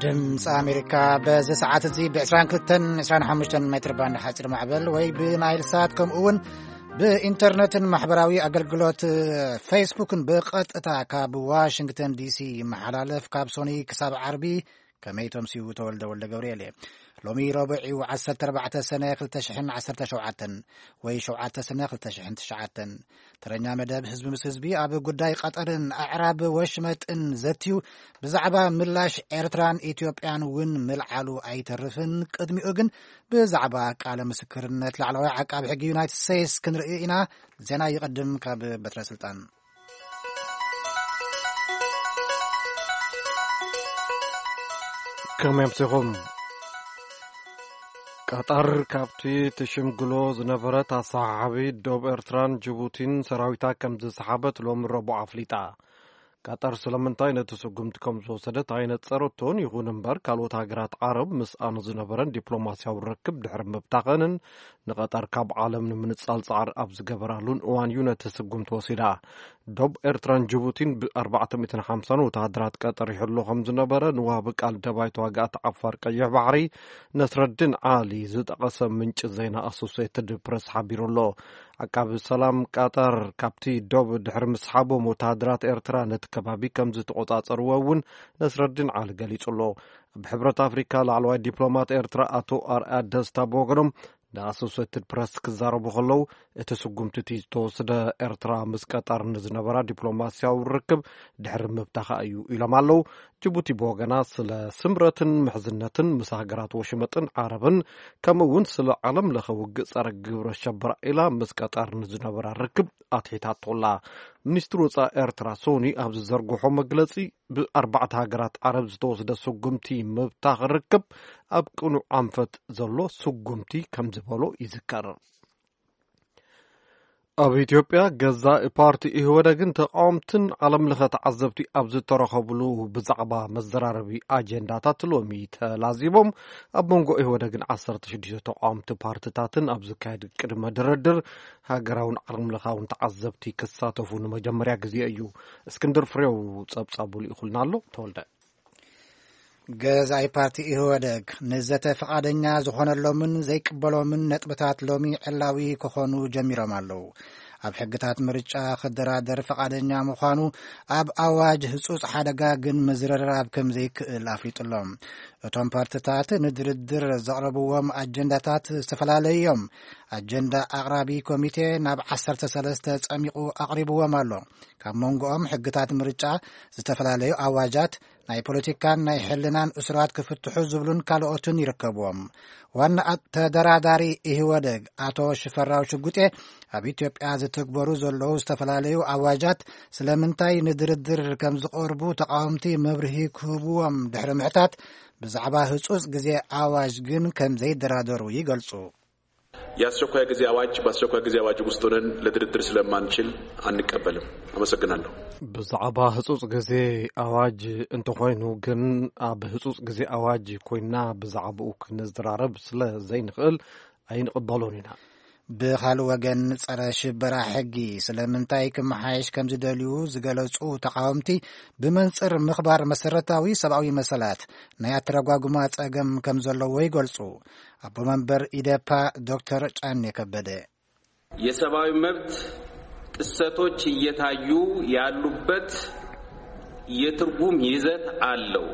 ድምፂ ኣሜሪካ በዚ ሰዓት እዚ ብ22 25 ሜትር ባንድ ሓፂር ማዕበል ወይ ብናይል ሳት፣ ከምኡ እውን ብኢንተርነትን ማሕበራዊ ኣገልግሎት ፌስቡክን ብቐጥታ ካብ ዋሽንግተን ዲሲ ይመሓላለፍ። ካብ ሶኒ ክሳብ ዓርቢ ከመይ ተምስዩ? ተወልደ ወልደ ገብርኤል እየ። ሎሚ ረቡዕ እዩ፣ 14 ሰነ 2017 ወይ 7 ሰነ 2009። ተረኛ መደብ ህዝቢ ምስ ህዝቢ ኣብ ጉዳይ ቀጠርን ኣዕራብ ወሽመጥን ዘትዩ፣ ብዛዕባ ምላሽ ኤርትራን ኢትዮጵያን እውን ምልዓሉ ኣይተርፍን። ቅድሚኡ ግን ብዛዕባ ቃለ ምስክርነት ላዕለዋይ ዓቃቢ ሕጊ ዩናይትድ ስቴትስ ክንርኢ ኢና። ዜና ይቐድም ካብ በትረ ስልጣን። ከመይ ኣምሲኹም? ቀጠር ካብቲ ትሽምግሎ ዝነበረት ኣሰሓሓቢ ዶብ ኤርትራን ጅቡቲን ሰራዊታ ከም ዝሰሓበት ሎሚ ረቡዕ ኣፍሊጣ። ቀጠር ስለምንታይ ነቲ ስጉምቲ ከም ዝወሰደት ኣይነጸረቶን። ይኹን እምበር፣ ካልኦት ሃገራት ዓረብ ምስኣን ዝነበረን ዲፕሎማስያዊ ርክብ ድሕሪ ምብታኸንን ንቐጠር ካብ ዓለም ንምንጻል ጻዕሪ ኣብ ዝገበራሉን እዋን እዩ ነቲ ስጉምቲ ወሲዳ። ዶብ ኤርትራን ጅቡቲን ብ450 ወተሃደራት ቀጠር ይሕሎ ከም ዝነበረ ንዋቢ ቃል ደባይ ተዋጋእቲ ዓፋር ቀይሕ ባሕሪ ነስረድን ዓሊ ዝጠቐሰ ምንጪ ዜና ኣሶሴትድ ፕረስ ሓቢሩ ኣሎ። ዓቃቢ ሰላም ቀጠር ካብቲ ዶብ ድሕሪ ምስሓቦም፣ ወተሃደራት ኤርትራ ነቲ ከባቢ ከም ዝተቖጻጸርዎ እውን ነስረድን ዓሊ ገሊጹ ኣሎ። ኣብ ሕብረት ኣፍሪካ ላዕለዋይ ዲፕሎማት ኤርትራ ኣቶ ኣርኣያ ደስታ ብወገኖም ንኣሶሴትድ ፕረስ ክዛረቡ ከለዉ፣ እቲ ስጉምቲ እቲ ዝተወስደ ኤርትራ ምስ ቀጠር ንዝነበራ ዲፕሎማስያዊ ርክብ ድሕሪ ምብታኻ እዩ ኢሎም ኣለዉ። ጅቡቲ ብወገና ስለ ስምረትን ምሕዝነትን ምስ ሃገራት ወሽመጥን ዓረብን፣ ከምኡ እውን ስለ ዓለም ለኸ ውግእ ጸረ ግብረ ሸበራ ኢላ ምስ ቀጠር ንዝነበራ ርክብ ኣትሒታቶላ። ሚኒስትሪ ወጻኢ ኤርትራ ሶኒ ኣብ ዝዘርግሖ መግለጺ፣ ብኣርባዕተ ሃገራት ዓረብ ዝተወስደ ስጉምቲ ምብታኽ ርክብ ኣብ ቅኑዕ ኣንፈት ዘሎ ስጉምቲ ከም ዝበሎ ይዝከር። ኣብ ኢትዮጵያ ገዛኢ ፓርቲ ኢህወደግን ተቃወምትን ዓለም ለኸ ተዓዘብቲ ኣብ ዝተረኸብሉ ብዛዕባ መዘራረቢ ኣጀንዳታት ሎሚ ተላዚቦም። ኣብ መንጎ ኢህወደግን 16 ተቃወምቲ ፓርትታትን ኣብ ዝካየድ ቅድመ ድርድር ሃገራውን ዓለም ለኻውን ተዓዘብቲ ክሳተፉ ንመጀመርያ ግዜ እዩ። እስክንድር ፍሬው ጸብጻቡ ልኢኹልና ኣሎ። ተወልደ። ገዛኢ ፓርቲ ኢህወደግ ንዘተ ፍቓደኛ ዝኾነሎምን ዘይቅበሎምን ነጥብታት ሎሚ ዕላዊ ክኾኑ ጀሚሮም ኣለዉ። ኣብ ሕግታት ምርጫ ክደራደር ፍቓደኛ ምዃኑ፣ ኣብ ኣዋጅ ህጹጽ ሓደጋ ግን ምዝርራብ ከም ዘይክእል ኣፍሊጡሎም። እቶም ፓርትታት ንድርድር ዘቕረብዎም ኣጀንዳታት ዝተፈላለዩ እዮም። ኣጀንዳ ኣቕራቢ ኮሚቴ ናብ 13 ጸሚቑ ኣቕሪብዎም ኣሎ። ካብ መንጎኦም ሕግታት ምርጫ፣ ዝተፈላለዩ ኣዋጃት፣ ናይ ፖለቲካን ናይ ሕልናን እሱራት ክፍትሑ ዝብሉን ካልኦትን ይርከብዎም። ዋና ኣ-፣ ተደራዳሪ ኢህወደግ ኣቶ ሽፈራው ሽጉጤ፣ ኣብ ኢትዮጵያ ዝትግበሩ ዘለዉ ዝተፈላለዩ ኣዋጃት ስለምንታይ ንድርድር ከም ዝቐርቡ ተቃወምቲ መብርሂ ክህብዎም ድሕሪ ምሕታት፣ ብዛዕባ ህጹጽ ግዜ ኣዋጅ ግን ከም ዘይደራደሩ ይገልጹ። የአስቸኳይ ጊዜ አዋጅ በአስቸኳይ ጊዜ አዋጅ ውስጥ ሆነን ለድርድር ስለማንችል አንቀበልም። አመሰግናለሁ። ብዛዕባ ህጹጽ ግዜ ኣዋጅ እንተኾይኑ ግን፣ ኣብ ህጹጽ ግዜ ኣዋጅ ኮይና ብዛዕባኡ ክንዘራረብ ስለ ዘይንኽእል ኣይንቕበሎን ኢና። ብኻልእ ወገን፣ ጸረ ሽበራ ሕጊ ስለምንታይ ክመሓየሽ ከም ዝደልዩ ዝገለጹ ተቃወምቲ፣ ብመንጽር ምኽባር መሰረታዊ ሰብኣዊ መሰላት ናይ ኣተረጓጉማ ጸገም ከም ዘለዎ ይገልጹ። ኣቦ መንበር ኢዴፓ ዶክተር ጫኔ ከበደ፣ የሰብአዊ መብት ጥሰቶች እየታዩ ያሉበት የትርጉም ይዘት አለው።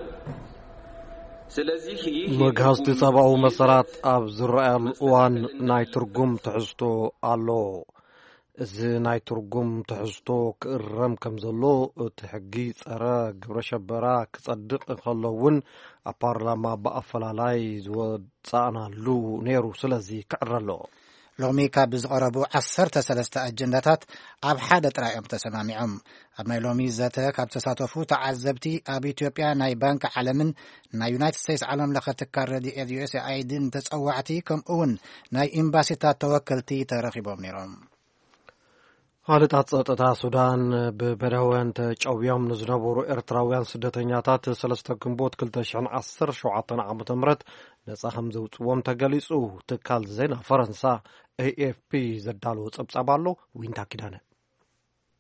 ስለዚህ ይህ መግሃስቲ የትርጉም ሰብኣዊ ይዘት መሰላት ኣብ ዝረኣየሉ እዋን ናይ ትርጉም ትሕዝቶ ኣሎ። እዚ ናይ ትርጉም ትሕዝቶ ክእረም ከም ዘሎ፣ እቲ ሕጊ ጸረ ግብረ ሸበራ ክጸድቕ እንከሎ እውን ኣብ ፓርላማ ብኣፈላላይ ዝወጻእናሉ ነይሩ። ስለዚ ክዕረ ኣለዎ። ሎሚ ካብ ዝቐረቡ 13 ኣጀንዳታት ኣብ ሓደ ጥራይ እዮም ተሰማሚዖም። ኣብ ናይ ሎሚ ዘተ ካብ ተሳተፉ ተዓዘብቲ፣ ኣብ ኢትዮጵያ ናይ ባንክ ዓለምን ናይ ዩናይትድ ስቴትስ ዓለም ለኸ ትካል ረድኤት ዩ ኤስ ኤ ኣይ ዲን ተጸዋዕቲ፣ ከምኡ እውን ናይ ኤምባሲታት ተወከልቲ ተረኺቦም ነይሮም። ሓለታት ጸጥታ ሱዳን፣ ብበዳውያን ተጨውዮም ንዝነበሩ ኤርትራውያን ስደተኛታት 3 ግንቦት 2017 ዓ.ም ነጻ ከም ዘውጽዎም ተገሊጹ። ትካል ዜና ፈረንሳ ኤ ኤፍ ፒ ዘዳለዎ ጸብጻብ ኣሎ። ዊንታ ኪዳነ።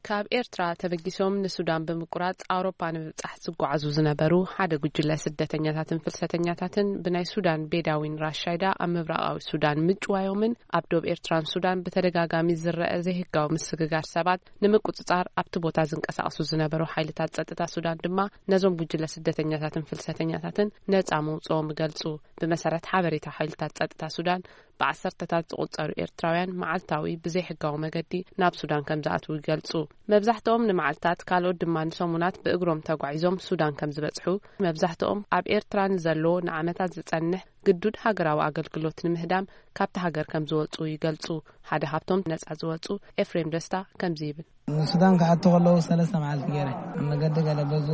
ካብ ኤርትራ ተበጊሶም ንሱዳን ብምቁራጽ ኣውሮፓ ንምብጻሕ ዝጓዓዙ ዝነበሩ ሓደ ጉጅለ ስደተኛታትን ፍልሰተኛታትን ብናይ ሱዳን ቤዳዊን ራሻይዳ ኣብ ምብራቓዊ ሱዳን ምጭዋዮምን ኣብ ዶብ ኤርትራን ሱዳን ብተደጋጋሚ ዝረአ ዘይህጋዊ ምስግጋር ሰባት ንምቁጽጻር ኣብቲ ቦታ ዝንቀሳቐሱ ዝነበሩ ሓይልታት ጸጥታ ሱዳን ድማ ነዞም ጉጅለ ስደተኛታትን ፍልሰተኛታትን ነጻ ምውጽኦም ይገልጹ። ብመሰረት ሓበሬታ ሓይልታት ጸጥታ ሱዳን ብዓሰርተታት ዝቑጸሩ ኤርትራውያን መዓልታዊ ብዘይሕጋዊ መገዲ ናብ ሱዳን ከም ዝኣትዉ ይገልጹ። መብዛሕትኦም ንመዓልታት፣ ካልኦት ድማ ንሰሙናት ብእግሮም ተጓዒዞም ሱዳን ከም ዝበጽሑ፣ መብዛሕትኦም ኣብ ኤርትራ ንዘሎ ንዓመታት ዝጸንሕ ግዱድ ሃገራዊ ኣገልግሎት ንምህዳም ካብቲ ሃገር ከም ዝወጹ ይገልጹ። ሓደ ካብቶም ነጻ ዝወጹ ኤፍሬም ደስታ ከምዚ ይብል። ንሱዳን ክኣቱ ከለዉ ሰለስተ መዓልቲ ገይረ ኣብ መገዲ ገለ በዙ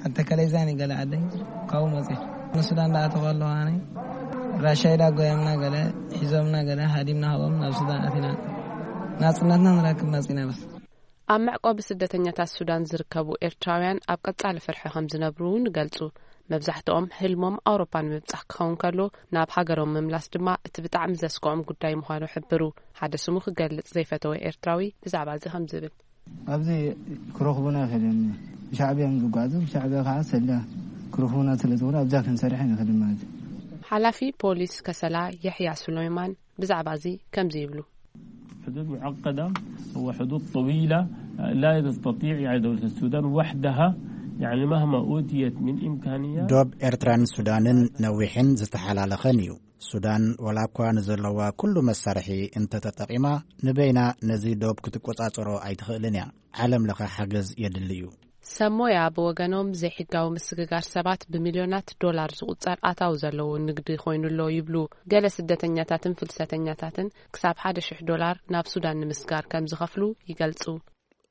ኣተከለይዛኒ ገለ ዓደይ ካብኡ መፅእ ንሱዳን ዳኣቱ ከለዉ ኣነ ራሻይዳ ጎየምና ገለ ሒዞምና ገለ ሃዲምና ሃቦም ናብ ሱዳን ኣቲና ናፅነትና ንረክብ መፂና በስ። ኣብ መዕቆቢ ስደተኛታት ሱዳን ዝርከቡ ኤርትራውያን ኣብ ቀጻሊ ፍርሒ ከም ዝነብሩ እውን ይገልጹ። መብዛሕትኦም ህልሞም ኣውሮፓ ንምብጻሕ ክኸውን ከሎ፣ ናብ ሃገሮም ምምላስ ድማ እቲ ብጣዕሚ ዘስክዖም ጉዳይ ምዃኑ ሕብሩ። ሓደ ስሙ ክገልጽ ዘይፈተወ ኤርትራዊ ብዛዕባ እዚ ከም ዝብል። ኣብዚ ክረኽቡና ይኽእልን። ብሻዕብያ እዮም ዝጓዓዙ። ብሻዕብያ ከዓ ሰልያ ክረኽቡና ስለ ዝኾነ ኣብዛ ክንሰርሕ ኣይንኽእልን ማለት እዩ። ሓላፊ ፖሊስ ከሰላ የሕያ ሱለይማን ብዛዕባ እዚ ከምዚ ይብሉ። حدود معقدة وحدود طويلة، لا تستطيع يعني دولة السودان وحدها يعني مهما أوتيت من إمكانيات. ዶብ ኤርትራን ሱዳንን ነዊሕን ዝተሓላለኸን እዩ። ሱዳን ዋላ እኳ ንዘለዋ ኩሉ መሳርሒ እንተተጠቒማ፣ ንበይና ነዚ ዶብ ክትቆጻጸሮ ኣይትኽእልን እያ። ዓለም ለኸ ሓገዝ የድሊ እዩ። ሰሞያ ብወገኖም፣ ዘይሕጋዊ ምስግጋር ሰባት ብሚልዮናት ዶላር ዝቑጸር ኣታዊ ዘለዎ ንግዲ ኮይኑ ኣሎ ይብሉ። ገለ ስደተኛታትን ፍልሰተኛታትን ክሳብ ሓደ ሽሕ ዶላር ናብ ሱዳን ንምስጋር ከም ዝኸፍሉ ይገልጹ።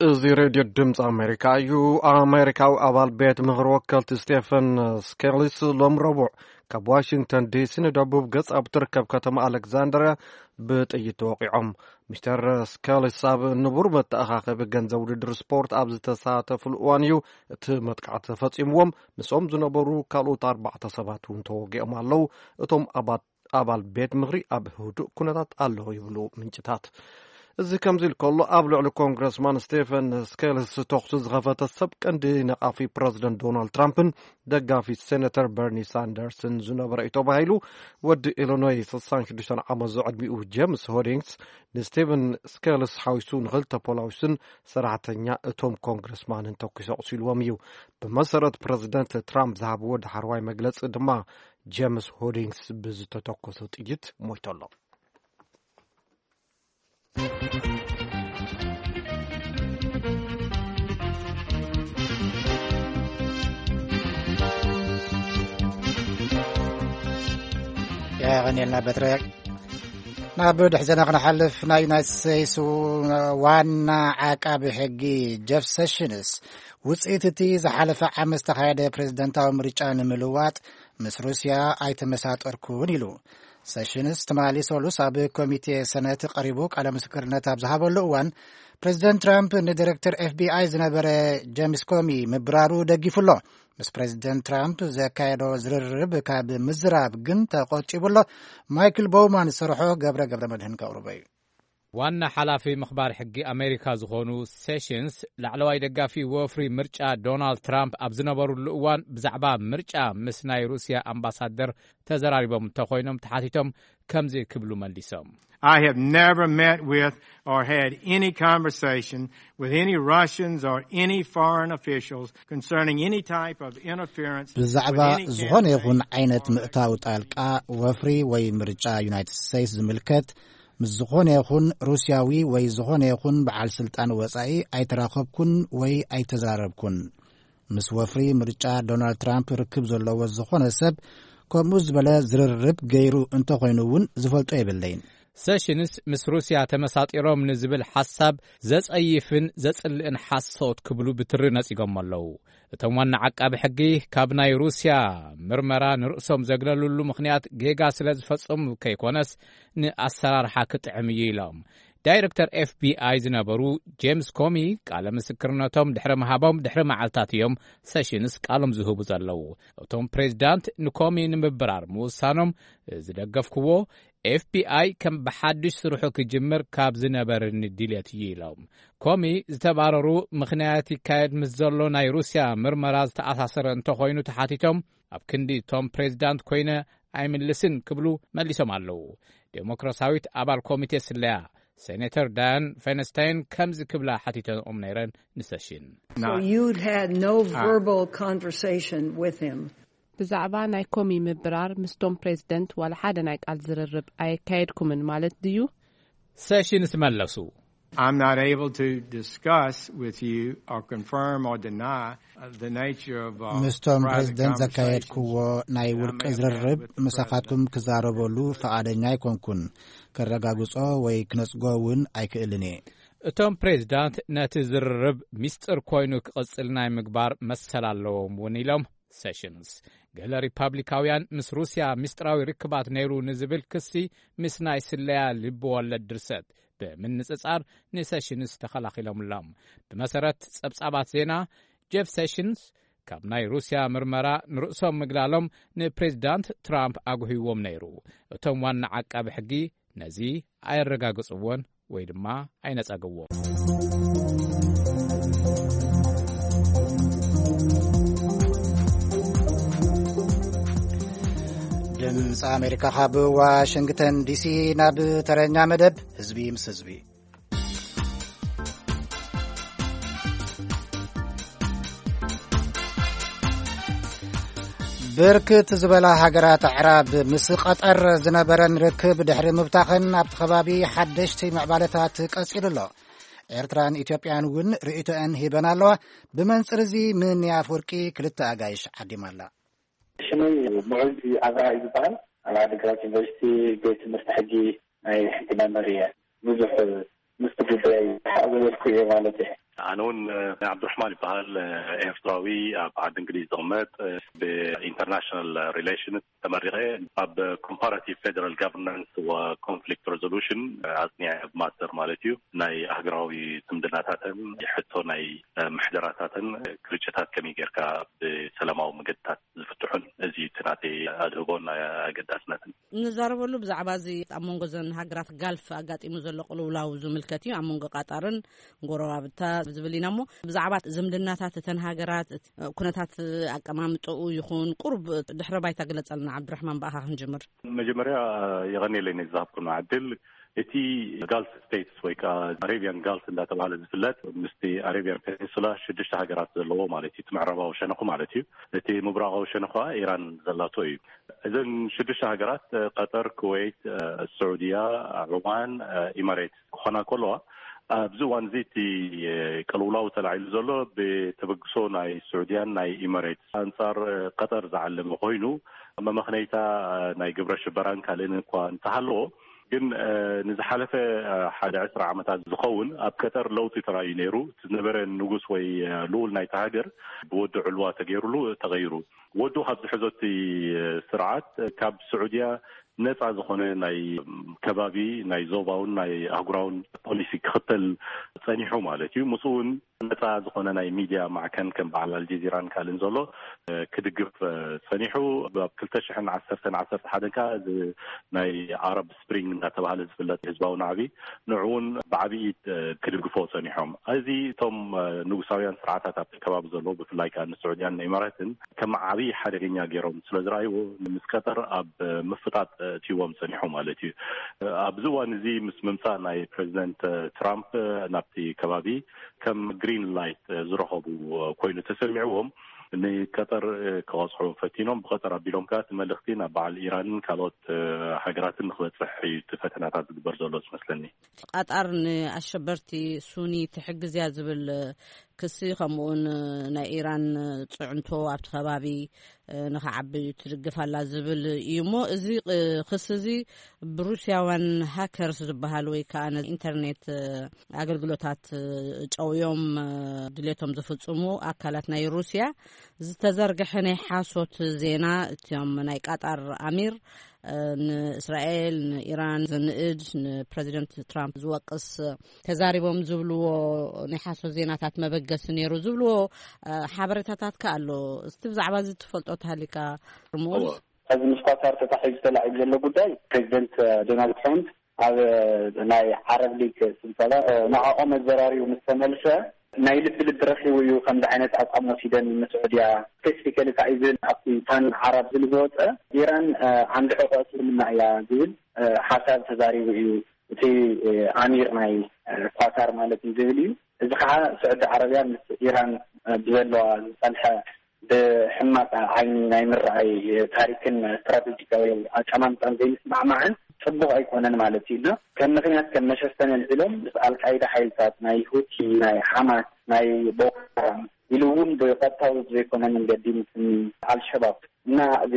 እዚ ሬድዮ ድምፂ ኣሜሪካ እዩ። ኣሜሪካዊ ኣባል ቤት ምኽሪ ወከልቲ ስቴፈን ስኬሊስ ሎም ረቡዕ ካብ ዋሽንግተን ዲሲ ንደቡብ ገጽ ኣብ ትርከብ ከተማ ኣሌክዛንድርያ ብጥይት ተወቂዖም። ሚስተር ስኬሊስ ኣብ ንቡር መተኣኻኸቢ ገንዘብ ውድድር ስፖርት ኣብ ዝተሳተፉሉ እዋን እዩ እቲ መጥቃዕቲ ተፈጺምዎም። ምስኦም ዝነበሩ ካልኦት ኣርባዕተ ሰባት እውን ተወጊኦም ኣለዉ። እቶም ኣባት ኣባል ቤት ምኽሪ ኣብ ህዱእ ኩነታት ኣሎ ይብሉ ምንጭታት። እዚ ከምዚ ኢሉ ከሎ፣ ኣብ ልዕሊ ኮንግረስማን ስቴፈን ስኬልስ ተኹሲ ዝኸፈተ ሰብ ቀንዲ ነቓፊ ፕረዚደንት ዶናልድ ትራምፕን ደጋፊ ሴነተር በርኒ ሳንደርስን ዝነበረ እዩ ተባሂሉ። ወዲ ኢሊኖይ ስሳን ሽዱሽተን ዓመት ዝዕድሚኡ ጄምስ ሆዲንግስ ንስቴቨን ስኬልስ ሓዊሱ ንኽልተ ፖላዊስን ሰራሕተኛ እቶም ኮንግረስማንን ተኩሱ ኣቑሲልዎም እዩ። ብመሰረት ፕረዚደንት ትራምፕ ዝሃብዎ ዳሕረዋይ መግለጺ ድማ ጄምስ ሆዲንግስ ብዝተተኮሰ ጥይት ሞይቱ ኣሎ። የቐንየልና በትረ። ናብ ድሕሪ ዜና ክንሓልፍ፣ ናይ ዩናይትድ ስቴትስ ዋና ዓቃቢ ሕጊ ጀፍ ሴሽንስ ውፅኢት እቲ ዝሓለፈ ዓመት ዝተኻየደ ፕሬዝደንታዊ ምርጫ ንምልዋጥ ምስ ሩስያ ኣይተመሳጠርኩን ኢሉ። ሴሽንስ ትማሊ ሰሉስ ኣብ ኮሚቴ ሰነት ቀሪቡ ቃለ ምስክርነት ኣብ ዝሃበሉ እዋን፣ ፕሬዝደንት ትራምፕ ንዲሬክተር ኤፍቢኣይ ዝነበረ ጄምስ ኮሚ ምብራሩ ደጊፉ ኣሎ። ምስ ፕሬዝደንት ትራምፕ ዘካየዶ ዝርርብ ካብ ምዝራብ ግን ተቆጢቡ ኣሎ። ማይክል ቦውማን ዝሰርሖ ገብረ ገብረ መድህን ከቕርቦ እዩ። ዋና ሓላፊ ምኽባር ሕጊ ኣሜሪካ ዝኾኑ ሴሽንስ፣ ላዕለዋይ ደጋፊ ወፍሪ ምርጫ ዶናልድ ትራምፕ ኣብ ዝነበሩሉ እዋን፣ ብዛዕባ ምርጫ ምስ ናይ ሩስያ ኣምባሳደር ተዘራሪቦም እንተኾይኖም ተሓቲቶም፣ ከምዚ ክብሉ መሊሶም። I have never met with or had any conversation with any Russians or any foreign officials concerning any type of interference ብዛዕባ with any ዝኾነ ይኹን campaign ዓይነት or ምእታው ጣልቃ ወፍሪ ወይ ምርጫ ዩናይትድ ስቴትስ ዝምልከት ምስ ዝኾነ ይኹን ሩስያዊ ወይ ዝኾነ ይኹን በዓል ስልጣን ወጻኢ ኣይተራኸብኩን ወይ ኣይተዛረብኩን። ምስ ወፍሪ ምርጫ ዶናልድ ትራምፕ ርክብ ዘለዎ ዝኾነ ሰብ ከምኡ ዝበለ ዝርርብ ገይሩ እንተኾይኑ እውን ዝፈልጦ የብለይን። ሴሽንስ ምስ ሩስያ ተመሳጢሮም ንዝብል ሓሳብ ዘጸይፍን ዘጽልእን ሓሶት ክብሉ ብትሪ ነጺጎም ኣለዉ። እቶም ዋና ዓቃቢ ሕጊ ካብ ናይ ሩስያ ምርመራ ንርእሶም ዘግለሉሉ ምኽንያት ጌጋ ስለ ዝፈጸሙ ከይኮነስ ንኣሰራርሓ ክጥዕም እዩ ኢሎም። ዳይረክተር ኤፍቢኣይ ዝነበሩ ጄምስ ኮሚ ቃለ ምስክርነቶም ድሕሪ ምሃቦም ድሕሪ መዓልታት እዮም ሴሽንስ ቃሎም ዝህቡ ዘለዉ። እቶም ፕሬዝዳንት ንኮሚ ንምብራር ምውሳኖም ዝደገፍክዎ ኤፍቢኣይ ከም ብሓድሽ ስርሑ ክጅምር ካብ ዝነበርኒ ድልየት እዩ ኢሎም። ኮሚ ዝተባረሩ ምኽንያት ይካየድ ምስ ዘሎ ናይ ሩስያ ምርመራ ዝተኣሳሰረ እንተኾይኑ ተሓቲቶም፣ ኣብ ክንዲ እቶም ፕሬዚዳንት ኮይነ ኣይምልስን ክብሉ መሊሶም ኣለዉ። ዴሞክራሲያዊት ኣባል ኮሚቴ ስለያ ሴኔተር ዳያን ፌንስታይን ከምዚ ክብላ ሓቲተኦም ነይረን ንሰሽን። So you had no verbal conversation with him? ብዛዕባ ናይ ኮሚ ምብራር ምስቶም ፕሬዚደንት ዋላ ሓደ ናይ ቃል ዝርርብ ኣየካየድኩምን ማለት ድዩ? ሰሽንስ መለሱ። I'm not able to discuss with you or confirm or deny, uh, the nature of, uh, ምስቶም private ፕሬዚደንት conversations ዘካየድክዎ ናይ that I ውልቂ may have had ዝርርብ with the ምሳኻትኩም president. ክዛረበሉ ፈቓደኛ ኣይኮንኩን። ከረጋግጾ ወይ ክነጽጎ እውን ኣይክእልን እየ። እቶም ፕሬዚዳንት ነቲ ዝርርብ ሚስጥር ኮይኑ ክቕጽል ናይ ምግባር መሰል ኣለዎም እውን ኢሎም ሰሽንስ። ገለ ሪፓብሊካውያን ምስ ሩስያ ሚስጥራዊ ርክባት ነይሩ ንዝብል ክሲ ምስ ናይ ስለያ ልብወለድ ድርሰት ብምንጽጻር ንሰሽንስ ተኸላኺሎምሎም። ብመሰረት ጸብጻባት ዜና፣ ጀፍ ሴሽንስ ካብ ናይ ሩስያ ምርመራ ንርእሶም ምግላሎም ንፕሬዚዳንት ትራምፕ ኣጉህይዎም ነይሩ። እቶም ዋና ዓቃቢ ሕጊ ነዚ ኣየረጋግጽዎን ወይ ድማ ኣይነጸግዎን። ድምፂ ኣሜሪካ ካብ ዋሽንግተን ዲሲ ናብ ተረኛ መደብ ህዝቢ ምስ ህዝቢ። ብርክት ዝበላ ሃገራት ኣዕራብ ምስ ቀጠር ዝነበረን ርክብ ድሕሪ ምብታኸን ኣብቲ ከባቢ ሓደሽቲ ምዕባለታት ቀጺሉ ኣሎ። ኤርትራን ኢትዮጵያን እውን ርእይቶአን ሂበን ኣለዋ። ብመንጽር እዚ ምን ኣፈወርቂ ክልተ ኣጋይሽ ዓዲማ ኣላ። ሽመይ ሙዑዝ ኣብርሃ እዩ ዝበሃል። ኣብ ዓዲግራት ዩኒቨርሲቲ ቤት ትምህርቲ ሕጊ ናይ ሕጊ መምህር እየ። ብዙሕ ምስቲ ጉዳይ ሓቕ ዝበልኩ እየ ማለት እየ። ኣነ እውን፣ እ፣ ዓብዱራሕማን ይበሃል፣ እ፣ ኤርትራዊ ኣብ ዓዲ እንግሊዝ ዝቕመጥ፣ እ፣ ብኢንተርናሽናል ሪሌሽንስ ተመሪቐ ኣብ ኮምፓራቲቭ ፌደራል ጋቨርናንስ ወኮንፍሊክት ሬዞሉሽን፣ እ፣ ኣጽኒዐ፣ ኣብ ማስተር ማለት እዩ። ናይ ኣህጉራዊ ዝምድናታትን ሕቶ ናይ፣ እ፣ ምሕደራታትን፣ እ፣ ግርጭታት ከመይ ጌርካ ብሰላማዊ መገድታት ዝፍትሑን፣ እዚ እቲ ናተይ ኣድህቦን ኣገዳስነትን። ንዛረበሉ ብዛዕባ እዚ ኣብ መንጎ እዘን ሃገራት ጋልፍ ኣጋጢሙ ዘሎ ቅልውላው ዝምልከት እዩ። ኣብ መንጎ ቃጣርን ጎረባብታ ዝብል ኢና እሞ፣ ብዛዕባ ዝምድናታት እተን ሃገራት፣ ኩነታት ኣቀማምጥኡ ይኹን ቁሩብ ድሕረ ባይታ ግለጸልና። ዓብድራሕማን፣ ብኣኻ ክንጅምር። መጀመርያ የቐንየለይ ነዚ ዝሃብኩና ዕድል። እቲ ጋልፍ ስቴትስ ወይ ከዓ ኣሬቢያን ጋልፍ እንዳተባሃለ ዝፍለጥ ምስቲ ኣሬቢያን ፔኒንሱላ ሽዱሽተ ሃገራት ዘለዎ ማለት እዩ። እቲ ምዕራባዊ ሸነኹ ማለት እዩ። እቲ ምብራቓዊ ሸነኹ ከዓ ኢራን ዘላቶ እዩ። እዘን ሽዱሽተ ሃገራት፣ እ፣ ቀጠር፣ ኩዌት፣ እ፣ ስዑድያ፣ ዑማን፣ እ፣ ኢማሬት ክኾና ከለዋ፣ ኣብዚ እዋን እዚ እቲ፣ እ፣ ቅልውላው ተላዒሉ ዘሎ ብተበግሶ ናይ ስዑድያን ናይ ኢማሬት ኣንጻር፣ እ፣ ቀጠር ዝዓለመ ኮይኑ፣ መመኽነይታ፣ እ፣ ናይ ግብረ ሽበራን ካልእን እኳ እንተሃለዎ፣ ግን፣ እ፣ ንዝሓለፈ፣ እ፣ ሓደ ዕስራ ዓመታት ዝኸውን ኣብ ቀጠር ለውጢ ተራእዩ ነይሩ። እቲ ዝነበረ ንጉስ ወይ፣ እ፣ ልኡል ናይቲ ሃገር ብወዲ ዕልዋ ተገይሩሉ ተቐይሩ። ወዱ ካብ ዝሕዞ እቲ ስርዓት ካብ ስዑድያ ነፃ ዝኾነ ናይ ከባቢ፣ ናይ ዞባውን ናይ ኣህጉራውን ፖሊሲ ክኽተል ጸኒሑ ማለት እዩ። ምስኡ እውን ነፃ ዝኾነ ናይ ሚድያ ማዕከን ከም በዓል ኣልጀዚራን ካልእን ዘሎ፣ እ፣ ክድግፍ፣ እ፣ ጸኒሑ። ኣብ ክልተ ሽሕን ዓሰርተን ዓሰርተ ሓደን ከኣ እዚ ናይ ኣረብ ስፕሪንግ እናተባህለ ዝፍለጥ ህዝባዊ ናዕቢ ንዕውን ብዓብዪ፣ እ፣ ክድግፎ ጸኒሖም። እዚ እቶም፣ እ፣ ንጉሳውያን ስርዓታት ኣብቲ ከባቢ ዘለዉ ብፍላይ ከኣ ንስዑድያን ንኢማራትን ከም ዓብዪ ሓደገኛ ገይሮም ስለ ዝረኣይዎ፣ ምስ ቀጠር ኣብ ምፍጣጥ እትይዎም ጸኒሑ ማለት እዩ። ኣብዚ እዋን እዚ ምስ ምምጻእ ናይ ፕሬዚደንት ትራምፕ ናብቲ ከባቢ ከም ግሪን ላይት ዝረኸቡ ኮይኑ ተሰሚዕዎም፣ ንቀጠር ክቐጽዑ ፈቲኖም። ብቐጠር ኣቢሎም ከኣ እቲ መልእኽቲ ናብ በዓል ኢራንን ካልኦት ሃገራትን ንክበጽሕ እዩ እቲ ፈተናታት ዝግበር ዘሎ ዝመስለኒ። ቀጠር ንኣሸበርቲ ሱኒ ትሕግዝ እያ ዝብል ክሲ፣ ከምኡውን ናይ ኢራን ጽዕንቶ ኣብቲ ከባቢ ንኽዓቢ ትድግፍ ኣላ ዝብል እዩ። እሞ እዚ ክሲ እዚ ብሩስያውያን ሃከርስ ዝበሃል ወይ ከዓ ነዚ ኢንተርኔት ኣገልግሎታት ጨውዮም ድሌቶም ዝፍጽሙ ኣካላት ናይ ሩስያ ዝተዘርግሐ ናይ ሓሶት ዜና፣ እቲኦም ናይ ቀጠር ኣሚር ንእስራኤል፣ ንኢራን ዘንእድ፣ ንፕረዚደንት ትራምፕ ዝወቅስ ተዛሪቦም ዝብልዎ ናይ ሓሶት ዜናታት መበገሲ ነይሩ ዝብልዎ፣ እ፣ ሓበሬታታት ከ ኣሎ። እስቲ ብዛዕባ እዚ ትፈልጦ ተሃሊካ፣ ርሙዝ? እወ። እዚ ምስ ኳታር ተታሒዙ ተላዒሉ ዘሎ ጉዳይ፣ ፕሬዚደንት ዶናልድ ትራምፕ ኣብ ናይ ዓረብ ሊግ ስብሰባ ንዕኦም ኣዘራሪቡ ምስ ተመልሰ፣ ናይ ልቢ ልቢ ረኺቡ እዩ ከምዚ ዓይነት ኣቋም ወሲደን። ንስዑድያ ስፔሲፊካሊ፣ ካብ ኢቨን ኣብቲ ፓን ዓረብ ዝብል ዝወፀ፣ ኢራን ዓንዲ ሕቆ እስልምና እያ ዝብል ሓሳብ ተዛሪቡ እዩ እቲ ኣሚር ናይ ኳታር ማለት እዩ ዝብል እዩ። እዚ ከዓ ስዑዲ ዓረብያ ምስ ኢራን ብዘለዋ ዝፀንሐ ብሕማቅ ዓይኒ ናይ ምርኣይ ታሪክን ስትራቴጂካዊ ኣቀማምጣን ዘይምስማዕማዕን ፅቡቅ ኣይኮነን ማለት እዩ። እና ከም ምክንያት፣ ከም መሸፈኒ ኣልዒሎም ምስ ኣልቃይዳ ሓይልታት፣ ናይ ሁቲ፣ ናይ ሓማስ፣ ናይ ቦኮ ሓራም ኢሉ እውን ብቀጥታዊ ዘይኮነ መንገዲ ምስ ኣልሸባብ እና እዚ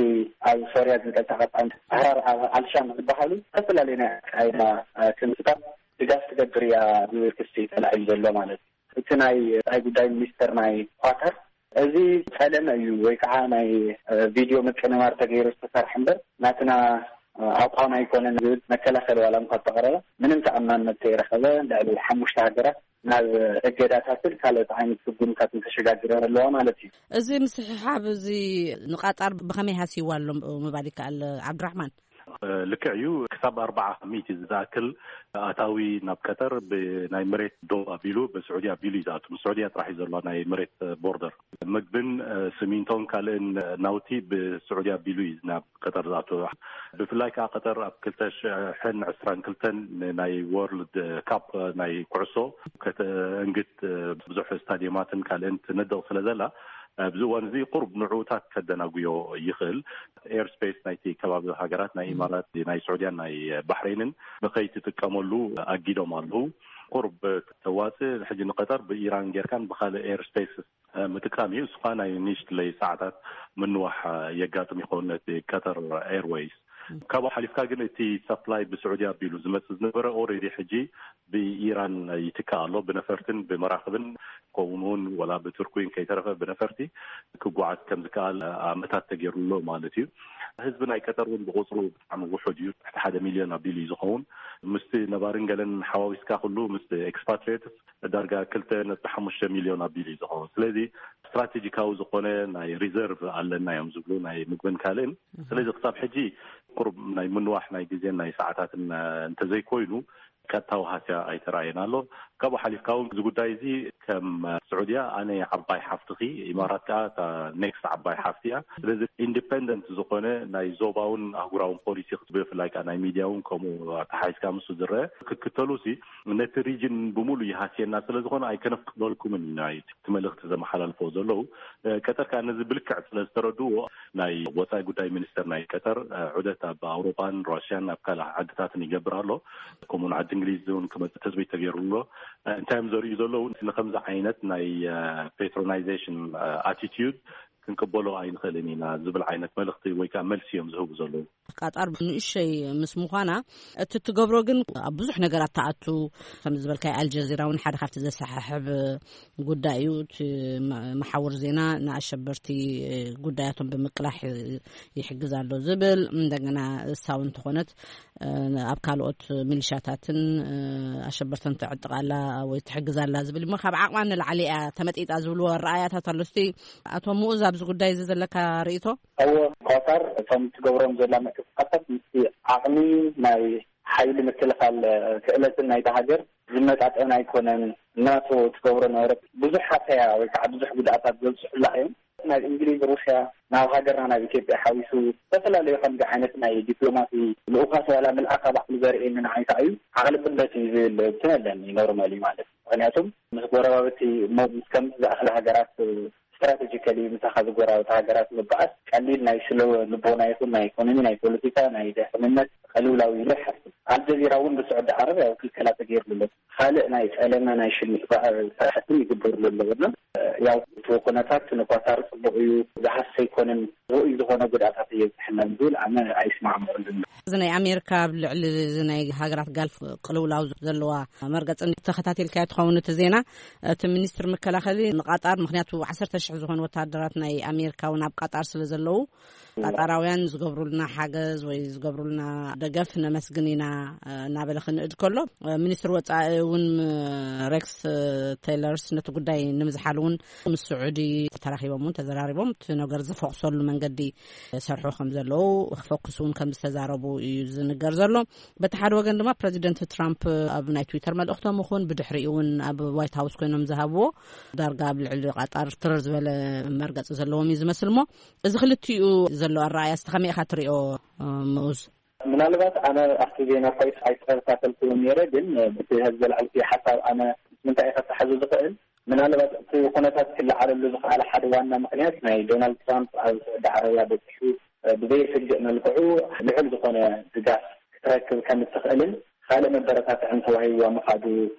ኣብ ሶርያ ዝንቀሳቀስ ኣህራር ኣልሻም ዝበሃሉ ዝተፈላለዩ ናይ ኣልቃይዳ ክንፍታት ድጋፍ ትገብር እያ ዝብል ክሲ ተላዒሉ ዘሎ ማለት እዩ። እቲ ናይ ወፃኢ ጉዳይ ሚኒስተር ናይ ኳታር፣ እዚ ጸለመ እዩ ወይ ከዓ ናይ ቪድዮ ምቅንባር ተገይሩ ዝተሰርሐ እምበር፣ ናትና ኣቋም ኣይኮነን ዝብል መከላኸሊ ዋላ እንኳ ተቕረበ፣ ምንም ተኣማንነት ከይረኸበ፣ ልዕሊ ሓሙሽተ ሃገራት ናብ እገዳታትን ካልኦት ዓይነት ስጉምታትን ተሸጋጊረን ኣለዋ ማለት እዩ። እዚ ምስሕሓብ እዚ ንቃጣር ብኸመይ ሃስይዋ ኣሎ ምባል ይከኣል? ዓብዱራሕማን። ልክዕ እዩ። ክሳብ ኣርባዓ ሚእቲ ዝኣክል ኣታዊ ናብ ቀጠር ብናይ መሬት ዶብ ኣቢሉ፣ ብስዑዲ ኣቢሉ እዩ ዝኣቱ። ስዑዲያ ጥራሕ እዩ ዘለዋ ናይ መሬት ቦርደር። ምግብን ስሚንቶን ካልእን ናውቲ ብስዑዲ ኣቢሉ እዩ ናብ ቀጠር ዝኣቱ። ብፍላይ ከዓ ቀጠር ኣብ ክልተ ሽሕን ዕስራን ክልተን ናይ ወርልድ ካፕ ናይ ኩዕሶ ከተእንግድ ብዙሕ ስታዲየማትን ካልእን ትነድቕ ስለ ዘላ፣ ኣብዚ እዋን እዚ ቁሩብ ንዕኡታት ከደናጉዮ ይኽእል። ኤርስፔስ ናይቲ ከባቢ ሃገራት ናይ ኢማራት፣ ናይ ስዑድያን ናይ ባሕሬንን ንኸይትጥቀመሉ ኣጊዶም ኣለዉ። ቁሩብ ተዋፅእ ሕጂ ንቀጠር ብኢራን ጌርካን ብካልእ ኤርስፔስ ምጥቃም እዩ። እሱ ከዓ ናይ ንእሽትለይ ሰዓታት ምንዋሕ የጋጥም ይኸውን ነቲ ቀጠር ኤርዌይስ። ካብኡ ሓሊፍካ ግን እቲ ሰፕላይ ብስዑዲ ኣቢሉ ዝመፅእ ዝነበረ ኦልሬዲ ሕጂ ብኢራን ይትካእ ኣሎ። ብነፈርትን ብመራክብን ከምኡ እውን ወላ ብቱርኪ እውን ከይተረፈ ብነፈርቲ ክጓዓዝ ከም ዝከኣል ኣመታት ተገይሩሎ ማለት እዩ። ህዝቢ ናይ ቀጠር እውን ብቁፅሩ ብጣዕሚ ውሑድ እዩ። ትሕቲ ሓደ ሚልዮን ኣቢሉ እዩ ዝኸውን። ምስቲ ነባርን ገለን ሓዋዊስካ ኩሉ ምስ ኤክስፓትሪየትስ ዳርጋ ክልተ ነጥቢ ሓሙሽተ ሚልዮን ኣቢሉ እዩ ዝኸውን። ስለዚ ስትራቴጂካዊ ዝኾነ ናይ ሪዘርቭ ኣለና እዮም ዝብሉ ናይ ምግብን ካልእን። ስለዚ ክሳብ ሕጂ ቁሩብ ናይ ምንዋሕ ናይ ግዜን ናይ ሰዓታትን እንተዘይኮይኑ ቀጥታዊ ሃስያ ኣይተራእየን ኣሎ። ካብኡ ሓሊፍካ እውን እዚ ጉዳይ እዚ ከም ስዑድያ ኣነ ዓባይ ሓፍትኺ፣ ኢማራት ከዓ እታ ኔክስት ዓባይ ሓፍቲ እያ። ስለዚ ኢንዲፐንደንት ዝኾነ ናይ ዞባውን ኣህጉራውን ፖሊሲ ብፍላይ ከዓ ናይ ሚድያ እውን ከምኡ ኣተሓሒዝካ ምስኡ ዝረአ ክክተሉ ሲ ነቲ ሪጅን ብምሉእ ይሃስየና ስለ ዝኾነ ኣይከነፍቅደልኩምን ኢና እቲ መልእኽቲ ዘመሓላልፎ ዘለዉ። ቀጠር ከዓ ነዚ ብልክዕ ስለ ዝተረድዎ ናይ ወፃኢ ጉዳይ ሚኒስተር ናይ ቀጠር ዑደት ኣብ ኣውሮጳን ራሽያን ኣብ ካልእ ዓድታትን ይገብር ኣሎ። ከምኡውን ዓዲ እንግሊዝ እውን ክመፅእ ትፅቢት ተገይሩ ኣሎ። እንታይ እዮም ዘርእዩ ዘለዉ? ንከምዚ ዓይነት ናይ ፔትሮናይዜሽን ኣቲቲዩድ ክንቅበሎ ኣይንኽእልን ኢና ዝብል ዓይነት መልእኽቲ ወይ ከዓ መልሲ እዮም ዝህቡ ዘለዉ። ቃጣር ንእሸይ ምስ ምዃና እቲ ትገብሮ ግን ኣብ ብዙሕ ነገራት ትኣቱ። ከም ዝበልካይ ኣልጀዚራ እውን ሓደ ካብቲ ዘሰሓሕብ ጉዳይ እዩ። እቲ መ- መሓውር ዜና ንኣሸበርቲ ጉዳያቶም ብምቅላሕ ይሕግዝ ኣሎ ዝብል፣ እንደገና እሳ እውን እንተኾነት ኣብ ካልኦት ሚሊሻታትን ኣሸበርትን ትዕጥቃላ ወይ ትሕግዛላ ዝብል እሞ ካብ ዓቕማ ንላዕሊ እያ ተመጢጣ ዝብልዎ ኣረኣያታት ኣሎ። እስቲ ኣቶ ምኡዝ ኣብዚ ጉዳይ እዚ ዘለካ ርእይቶ? እወ፣ ኳታር እቶም ትገብሮም ዘላ ምንቅስቃሳት ምስቲ ዓቕሚ ናይ ሓይሊ ምክልኻል ክእለትን ናይታ ሃገር ዝመጣጠን ኣይኮነን። ናቶ ትገብሮ ነበረት ብዙሕ ሃሰያ ወይ ከዓ ብዙሕ ጉድኣታት ዘብፅሑላ እዮም። ናብ እንግሊዝ፣ ሩስያ፣ ናብ ሃገርና ናብ ኢትዮጵያ ሓዊሱ ዝተፈላለዩ ከምዚ ዓይነት ናይ ዲፕሎማሲ ልኡኻት ዋላ ምልኣኻ ባዕሉ ዘርእየኒ ንዓይ ከዓ እዩ ዓቕሊ ብለት እዩ ዝብል እንትን ኣለኒ ኖርማሊ ማለት እዩ። ምክንያቱም ምስ ጎረባብቲ እሞ ምስ ከምዚ ዝኣኽለ ሃገራት ስትራቴጂካሊ ምሳኻ ዝጎረባብቲ ሃገራት ምበኣስ ቀሊል ናይ ስለ ልቦና ይኹን ናይ ኢኮኖሚ ናይ ፖለቲካ ናይ ደሕንነት ቅልውላው ኢሉ ይሓስብ። ኣልጀዚራ እውን ብስዑዲ ዓረብ ያው ክልከላ ተገይርሉ ኣሎ። ካልእ ናይ ጸለመ ናይ ሽምጥ ስራሕትን ይግበርሉ ኣለዎ። እና ያው እቲ ኩነታት ንኳታር ጽቡቕ እዩ ዝሃስ ኣይኮነን፣ ርኡይ ዝኾነ ጉድኣታት እየብዝሕና ዝብል ኣነ ኣይስማዕምዑሉን። እዚ ናይ ኣሜሪካ ኣብ ልዕሊ እዚ ናይ ሃገራት ጋልፍ ቅልውላው ዘለዋ መርገጽ ተኸታቲልካዮ ትኸውን እቲ ዜና። እቲ ሚኒስትር መከላኸሊ ንቃጣር፣ ምክንያቱ ዓሰርተ ሽሕ ዝኾኑ ወታደራት ናይ ኣሜሪካ እውን ኣብ ቃጣር ስለ ዘለዉ ቃጣራውያን ዝገብሩልና ሓገዝ ወይ ዝገብሩልና ደገፍ ነመስግን ኢና፣ እ፣ እናበለ ክንእድ ከሎ፣ እ፣ ሚኒስትር ወጻኢ እውን፣ እ፣ ሬክስ፣ እ፣ ቴይለርስ ነቲ ጉዳይ ንምዝሓል እውን ምስ ስዑዲ ተራኺቦም እውን ተዘራሪቦም እቲ ነገር ዝፈኩሰሉ መንገዲ ሰርሑ ከም ዘለዉ ክፈኩስ እውን ከም ዝተዛረቡ እዩ ዝንገር ዘሎ። በቲ ሓደ ወገን ድማ ፕረዚደንት ትራምፕ ኣብ ናይ ትዊተር መልእኽቶም ይኹን ብድሕሪኡ እውን ኣብ ዋይት ሃውስ ኮይኖም ዝሃብዎ ዳርጋ ኣብ ልዕሊ ቃጣር ትርር ዝበለ መርገጺ ዘለዎም እዩ ዝመስል። እሞ እዚ ክልቲኡ ዘሎ ኣረኣእያ እስቲ ከመይ ኢኻ ትሪኦ፣ እ፣ ምኡዝ? ምናልባት ኣነ ኣብቲ ዜና ኮይስ ኣይተኸታተልኩዎን ነይረ፣ ግን፣ እ፣ ብቲ ህዝቢ ዘልዓልኩ ሓሳብ ኣነ ምስ ምንታይ እየ ከተሓዞ ዝኽእል? ምናልባት እቲ ኩነታት ክለዓለሉ ዝኸኣለ ሓደ ዋና ምኽንያት ናይ ዶናልድ ትራምፕ ኣብ ስዑዲ ዓረብያ በፂሑ፣ እ፣ ብዘየስግእ መልክዑ ልዑል ዝኾነ ድጋፍ ክትረክብ ከም እትኽእልን ካልእ መበረታትዕን ተዋሂብዋ ምኻዱ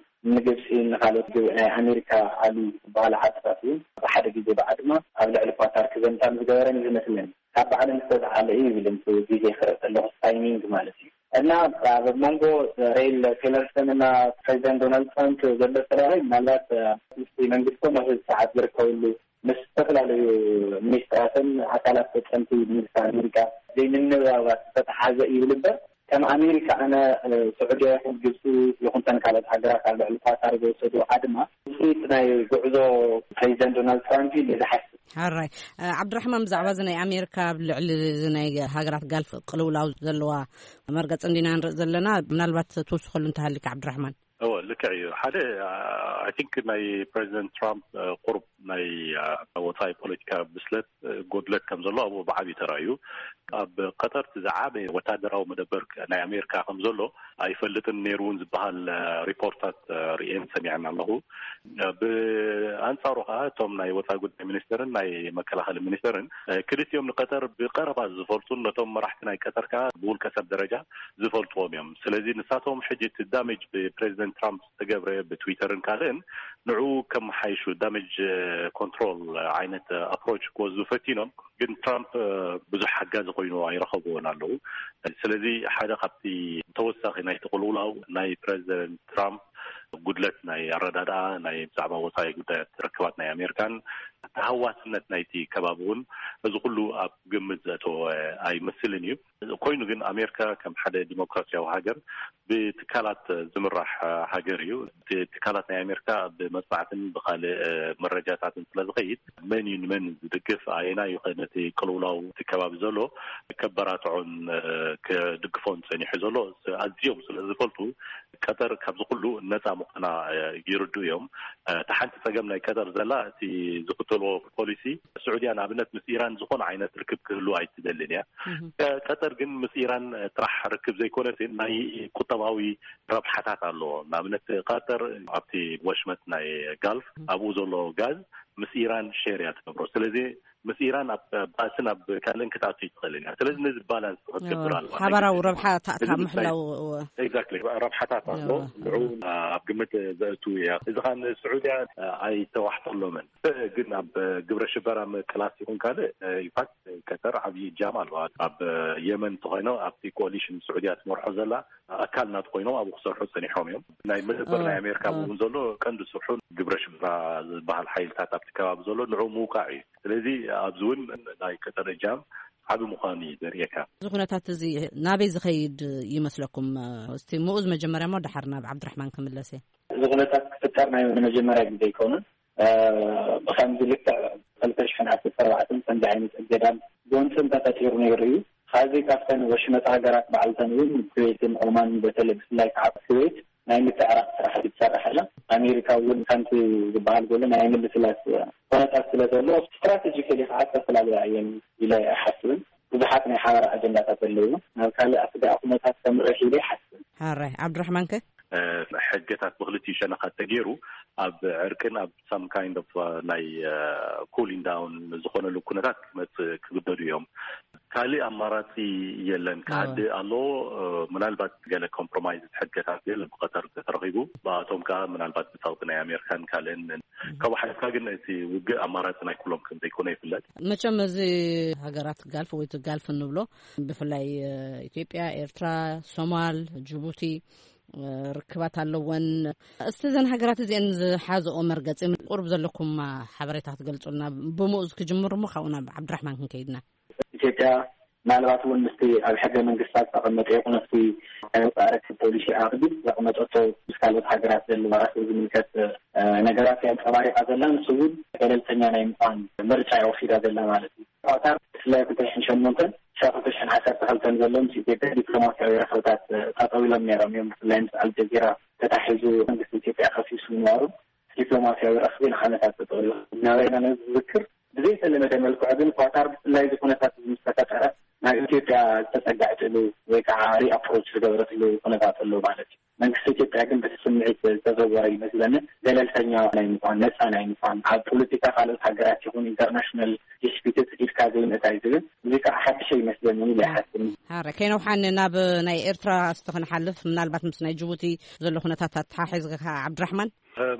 ንግብፂ ንኻልኦት ግብ-፣ ናይ ኣሜሪካ ኣሉ ዝበሃላ ዓድታት እውን ብሓደ ግዜ ብዓድማ ኣብ ልዕሊ ኳታር ክዘምታ ዝገበረን እዩ ዝመስለኒ። ካብ ባዕለን ዝተዝሓለ እዩ ይብል፣ እቲ ግዜ ክርኢ ከለኹ ታይሚንግ ማለት እዩ። እና ኣብ መንጎ ሬል ቴለርሰን እና ፕሬዚደንት ዶናልድ ትራምፕ ዘሎ ተራራይ ምናልባት፣ እ፣ ምስቲ መንግስቶም ኣብ ሰዓት ዝርከብሉ ምስ ዝተፈላለዩ ሚኒስትራትን ኣካላት ፈጸምቲ መንግስቲ ኣሜሪካ ዘይምንባባት ዝተተሓዘ እዩ ይብል እምበር፣ ከም ኣሜሪካ ኣነ፣ እ፣ ስዑድያ ይኹን ግብፂ ይኹን ተን ካልኦት ሃገራት ኣብ ልዕሊ ኳታር ዝወሰዱ ኣድማ ውፅኢት ናይ ጉዕዞ ፕሬዚደንት ዶናልድ ትራምፕ እዩ ኢለ ዝሓስብ። ሓራይ፣ እ፣ ዓብድራሕማን፣ ብዛዕባ እዚ ናይ ኣሜሪካ ኣብ ልዕሊ እዚ ናይ ሃገራት ጋልፍ ቅልውላው ዘለዋ መርገፂ እንዲና ንርኢ ዘለና፣ ምናልባት ትውስኸሉ እንተሃሊካ ዓብድራሕማን። እወ፣ ልክዕ እዩ። ሓደ፣ ኣይ ቲንክ ናይ ፕሬዚደንት ትራምፕ፣ እ፣ ቁሩብ ናይ፣ እ፣ ወፃኢ ፖለቲካ ብስለት፣ እ፣ ጎድለት ከም ዘሎ ኣብኡ ብዓብዩ ተራእዩ። ኣብ ቀጠር እቲ ዝዓበየ ወታደራዊ መደበር ናይ ኣሜሪካ ከም ዘሎ ኣይፈልጥን ነይሩ እውን ዝበሃል፣ እ፣ ሪፖርታት፣ እ፣ ርእየን ሰሚዐን ኣለኹ። እ፣ ብኣንጻሩ ከዓ እቶም ናይ ወፃኢ ጉዳይ ሚኒስተርን ናይ መከላኸሊ ሚኒስተርን፣ እ፣ ክልቲኦም ንቀጠር ብቀረባ ዝፈልጡን ነቶም መራሕቲ ናይ ቀጠር ከዓ ብውልቀ ሰብ ደረጃ ዝፈልጥዎም እዮም። ስለዚ ንሳቶም ሕጂ እቲ ዳሜጅ ብፕሬዚደንት ትራምፕ ዝተገብረ ብትዊተርን ካልእን ንዕኡ ከመሓይሹ ዳሜጅ ኮንትሮል ዓይነት ኣፕሮች ክወስዱ ፈቲኖም፣ ግን ትራምፕ ብዙሕ ሓጋዚ ኮይኑ ኣይረኸብዎን ኣለዉ። ስለዚ ሓደ ካብቲ ተወሳኺ ናይቲ ቅልውላው ናይ ፕሬዚደንት ትራምፕ ጉድለት ናይ ኣረዳድኣ ናይ ብዛዕባ ወፃኢ ጉዳያት ርክባት ናይ ኣሜሪካን ተሃዋስነት ናይቲ ከባቢ እውን እዚ ኩሉ ኣብ ግምት ዘእተወ ኣይመስልን እዩ። ኮይኑ ግን ኣሜሪካ ከም ሓደ ዲሞክራሲያዊ ሃገር ብትካላት ዝምራሕ ሃገር እዩ። እቲ ትካላት ናይ ኣሜሪካ ብመጽናዕትን ብካልእ መረጃታትን ስለ ዝኸይድ መን እዩ ንመን ዝድግፍ፣ ኣየና እዩ ከ ነቲ ቅልውላው እቲ ከባቢ ዘሎ ከበራትዖን ክድግፎን ጸኒሑ ዘሎ ኣዝዮም ስለ ዝፈልጡ ቀጠር ካብዚ ኩሉ ነጻ ምዃና ይርዱ እዮም። እታ ሓንቲ ጸገም ናይ ቀጠር ዘላ እቲ ዝኽተልዎ ፖሊሲ ስዑድያ ንኣብነት ምስ ኢራን ዝኾነ ዓይነት ርክብ ክህሉ ኣይትደልን እያ። ቀጠር ግን ምስ ኢራን ጥራሕ ርክብ ዘይኮነስ ናይ ቁጠባዊ ረብሓታት ኣለዎ። ንኣብነት ቀጠር ኣብቲ ወሽመጥ ናይ ጋልፍ ኣብኡ ዘሎ ጋዝ ምስ ኢራን ሼር እያ ትገብሮ። ስለዚ ምስ ኢራን ኣብ ባእስን ኣብ ካልእን ክትኣቱ ይትኽእል እያ። ስለዚ ነዚ ባላንስ ክትገብር ኣለዋ። ሓባራዊ ረብሓ ታእታ ምሕላው። ኤግዛክትሊ፣ ረብሓታት ኣሎ። ንዑ ኣብ ግምት ዘእቱ እያ። እዚ ከዓ ንስዑድያ ኣይተዋሕጠሎምን። ግን ኣብ ግብረ ሽበራ ምቅላስ ይኹን ካልእ ኢንፋክት ቀጠር ዓብዪ እጃም ኣለዋ። ኣብ የመን እንተኾይኖም ኣብቲ ኮሊሽን ስዑድያ ትመርሖ ዘላ ኣካል ናት ኮይኖም ኣብኡ ክሰርሑ ጸኒሖም እዮም። ናይ መደበር ናይ ኣሜሪካ እውን ዘሎ ቀንዲ ስርሑ ግብረ ሽበራ ዝበሃል ሓይልታት ኣብቲ ከባቢ ዘሎ ንዑ ምውቃዕ እዩ። ስለዚ ኣብዚ እውን ናይ ቀጠር እጃም ዓቢ ምዃኑ እዩ ዘርእየካ። እዚ ኩነታት እዚ ናበይ ዝኸይድ ይመስለኩም? እስቲ ምኡዝ መጀመርያ እሞ ደሓር ናብ ዓብድራሕማን ክምለስ እየ። እዚ ኩነታት ክፍጠር ናይ ንመጀመርያ ግዜ ኣይኮነን። ብከምዚ ልክዕ ክልተ ሽሕን ዓሰርተ ኣርባዕተን ከምዚ ዓይነት እገዳን ጎንፅን ተፈጢሩ ነይሩ እዩ። ካብዚ ካብተን ወሽመጥ ሃገራት ባዕልተን እውን ኩዌትን ኦማን በተለይ ብፍላይ ከዓ ኩዌት ናይ ምትዕራቕ ስራሕቲ ትሰርሕ ኣላ። ኣሜሪካ እውን ከምቲ ዝበሃል ዘሎ ናይ ምልስላስ ኩነታት ስለ ዘሎ ስትራቴጂካሊ ከዓ ዝተፈላለያ እየን ኢለ ኣይሓስብን። ብዙሓት ናይ ሓባር ኣጀንዳታት ኣለዎ። ናብ ካልእ ኣስጋኢ ኩነታት ከምርሕ ኢለ ኣይሓስብን። ሓራይ ዓብድራሕማን ከ? ሕገታት ብክልቲኡ ሸነኻት ተገይሩ ኣብ ዕርቅን ኣብ ሳም ካይንድ ኦፍ ናይ ኩሊንግ ዳውን ዝኾነሉ ኩነታት ክመፅእ ክግደዱ እዮም። ካልእ ኣማራፂ የለን። ክሃድእ ኣለዎ። ምናልባት ገለ ኮምፕሮማይዝ ሕገታት ገለ ብቀጠር ተረኺቡ ብኣቶም ከዓ ምናልባት ብፀቕጢ ናይ ኣሜሪካን ካልእን ካብ ሓሊፍካ ግን እቲ ውግእ ኣማራፂ ናይ ኩሎም ከም ዘይኮነ ይፍለጥ። መቸም እዚ ሃገራት ጋልፍ ወይ እቲ ጋልፍ እንብሎ ብፍላይ ኢትዮጵያ፣ ኤርትራ፣ ሶማል፣ ጅቡቲ ርክባት ኣለወን። እስቲ እዘን ሃገራት እዚአን ዝሓዘኦ መርገፂ ቁርብ ዘለኩም ሓበሬታ ክትገልፁልና ብምኡዝ ክጅምር እሞ ካብኡ ናብ ዓብድራሕማን ክንከይድና። ኢትዮጵያ ምናልባት እውን ምስቲ ኣብ ሕገ መንግስታ ዝተቐመጠ ይኹን ኣብቲ ናይ ወፃኢ ርክብ ፖሊሲ ዓቕዲ ዘቐመጠቶ ምስ ካልኦት ሃገራት ዘለዋ ራስብ ዝምልከት ነገራት የንፀባሪቃ ዘላ፣ ንሱ እውን ገለልተኛ ናይ ምኳን ምርጫ የወሲዳ ዘላ ማለት እዩ። ኳታር ብፍላይ ክልተ ሽሕን ሸሞንተን ክሳብ ክልተ ሽሕን ዓሰርተ ክልተን ዘሎ ምስ ኢትዮጵያ ዲፕሎማሲያዊ ረኽብታት ጠጠው ኢሎም ነይሮም እዮም። ብፍላይ ምስ ኣልጀዚራ ተታሒዙ መንግስቲ ኢትዮጵያ ከሲሱ ምንባሩ ዲፕሎማሲያዊ ረኽቢ ንዓመታት ጠጠው ኢሉ ነበረ ኢና። ነዚ ዝዝክር ብዘይተለመደ መልክዑ ግን ኳታር ብፍላይ እዚ ኩነታት እዚ ምስ ተፈጠረ ናብ ኢትዮጵያ ዝተጸጋዕትሉ ወይ ከዓ ሪኣፕሮች ዝገበረትሉ ኩነታት ኣሎ ማለት እዩ። መንግስቲ ኢትዮጵያ ግን በቲ ስምዒት ዝተዘወረ ይመስለኒ። ገለልተኛ ናይ ምኳን፣ ነፃ ናይ ምኳን፣ ኣብ ፖለቲካ ካልኦት ሃገራት ይኹን ኢንተርናሽናል ዲስፒትስ ኢድካ ዘይምእታይ ዝብል እዚ ከዓ ሓድሽ ይመስለኒ ኢለ ይሓስብ። ሃረ ከይነውሓን ናብ ናይ ኤርትራ እስቲ ክንሓልፍ፣ ምናልባት ምስ ናይ ጅቡቲ ዘሎ ኩነታት ኣተሓሒዝካ ዓብድራሕማን።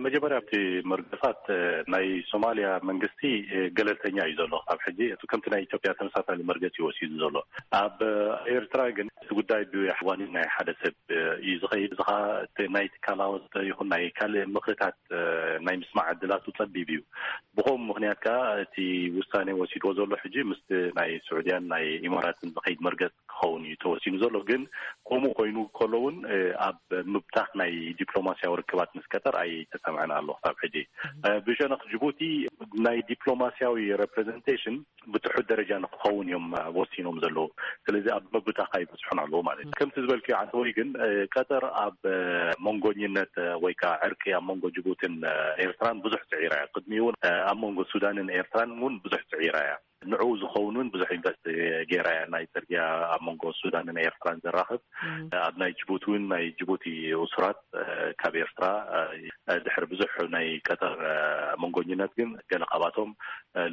መጀመርያ ኣብቲ መርገጻት ናይ ሶማልያ መንግስቲ ገለልተኛ እዩ ዘሎ። ኣብ ሕጂ እቲ ከምቲ ናይ ኢትዮጵያ ተመሳሳሊ መርገጺ ወሲዱ ዘሎ። ኣብ ኤርትራ ግን እቲ ጉዳይ ብዋኒን ናይ ሓደ ሰብ እዩ ዝኸይድ። እዚ ኸኣ እቲ ናይ ትካላወት ይኹን ናይ ካልእ ምኽርታት ናይ ምስማዕ ዕድላቱ ጸቢብ እዩ። ብኸምኡ ምኽንያት ከኣ እቲ ውሳኔ ወሲድዎ ዘሎ ሕጂ ምስቲ ናይ ስዑድያን ናይ ኢማራትን ዝኸይድ መርገጽ ክኸውን እዩ ተወሲኑ ዘሎ። ግን ከምኡ ኮይኑ ከሎ እውን ኣብ ምብታኽ ናይ ዲፕሎማሲያዊ ርክባት ምስ ቀጠር ኣይተሰምዐን ኣሎ ክሳብ ሕጂ። ብሸነኽ ጅቡቲ ናይ ዲፕሎማሲያዊ ሬፕሬዘንቴሽን ብትሑት ደረጃ ንክኸውን እዮም ወሲኖም ዘለዉ። ስለዚ ኣብ ምብታኽ ኣይበፅሑን ኣለዉ ማለት እዩ። ከምቲ ዝበልክዮ ዓንተወይ ግን ቀጠር ኣብ መንጎኝነት ወይ ከዓ ዕርቂ ኣብ መንጎ ጅቡትን ኤርትራን ብዙሕ ፅዒራ እያ። ቅድሚ እውን ኣብ መንጎ ሱዳንን ኤርትራን እውን ብዙሕ ፅዒራ እያ። ንዕኡ ዝኸውን እውን ብዙሕ ኢንቨስት ገይራ እያ። ናይ ፅርግያ ኣብ መንጎ ሱዳንን ኤርትራን ዘራኽብ ኣብ ናይ ጅቡቲ እውን ናይ ጅቡቲ እሱራት ካብ ኤርትራ ድሕሪ ብዙሕ ናይ ቀጠር መንጎኝነት ግን ገለ ካብኣቶም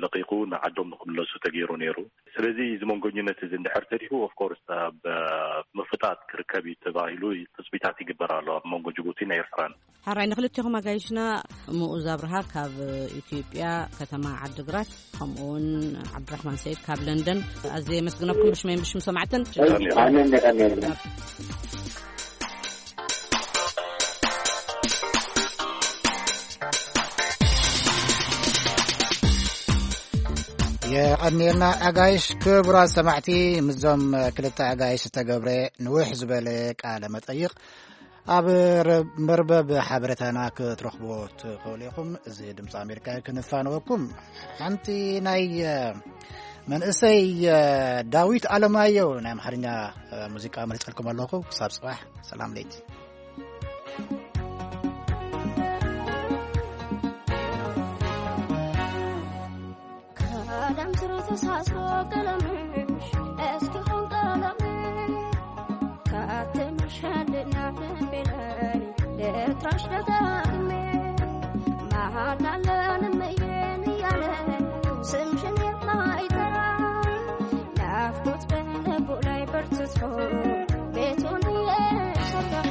ለቂቁ ንዓዶም ንክምለሱ ተገይሩ ነይሩ። ስለዚ እዚ መንጎኝነት እዚ እንድሕር ተሪፉ ኦፍኮርስ ኣብ ምፍጣጥ ክርከብ እዩ ተባሂሉ ትፅቢታት ይግበር ኣሎ ኣብ መንጎ ጅቡቲን ኤርትራን። ሓራይ ንክልቴኹም ኣጋይሽና ምኡዝ ኣብርሃ ካብ ኢትዮጵያ ከተማ ዓድግራት ከምኡውን ዓብድራሕማን ሰይድ ካብ ለንደን ኣዝየ የመስግነኩም ብሽመይ ብሽም ሰማዕትን። ኣነ እንደቀን የቐንየልና ኣጋይሽ። ክቡራት ሰማዕቲ፣ ምስዞም ክልተ ኣጋይሽ ዝተገብረ ንውሕ ዝበለ ቃለ መጠይቕ ኣብ መርበብ ሓበሬታና ክትረኽብዎ ትኽእሉ ኢኹም። እዚ ድምፂ ኣሜሪካ እዩ ክንፋነወኩም። ሓንቲ ናይ መንእሰይ ዳዊት ኣለማየሁ ናይ ኣምሓርኛ ሙዚቃ መሪፀልኩም ኣለኹ። ክሳብ ፅባሕ ሰላም ለይቲ። ከደም ስሩ ተሳስሮ ቀለምሽ እስኪ ኹን ቀለምሽ ካተምሽ ሓልና ደንቤለይ ልጥራሽ ደጋግሜ መሃላ ለንመየን እያለ ስምሽን የማይጠራ ናፍቆት በልቡ ላይ በርትቶ ቤቱን እየሰራ